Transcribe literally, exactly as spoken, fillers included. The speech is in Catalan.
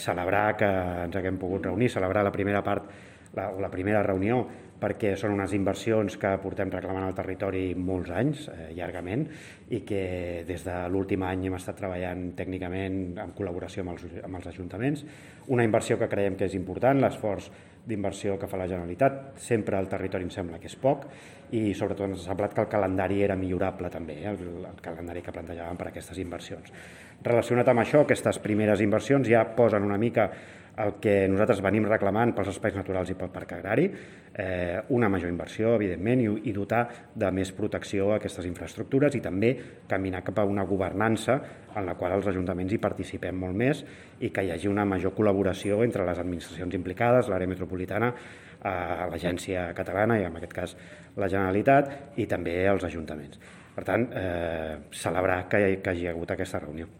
Celebrar que ens haguem pogut reunir, celebrar la primera part la, o la primera reunió, perquè són unes inversions que portem reclamant al territori molts anys, eh, llargament, i que des de l'últim any hem estat treballant tècnicament en col·laboració amb els, amb els ajuntaments. Una inversió que creiem que és important, l'esforç d'inversió que fa la Generalitat. Sempre al territori em sembla que és poc i sobretot ens ha semblat que el calendari era millorable també, eh, el, el calendari que plantejàvem per a aquestes inversions. Relacionat amb això, aquestes primeres inversions ja posen una mica el que nosaltres venim reclamant pels espais naturals i pel parc agrari, eh, una major inversió, evidentment, i, i dotar de més protecció a aquestes infraestructures i també caminar cap a una governança en la qual els ajuntaments hi participem molt més i que hi hagi una major col·laboració entre les administracions implicades, l'àrea metropolitana, eh, l'agència catalana i en aquest cas la Generalitat i també els ajuntaments. Per tant, eh, celebrar que hi, que hi hagi hagut aquesta reunió.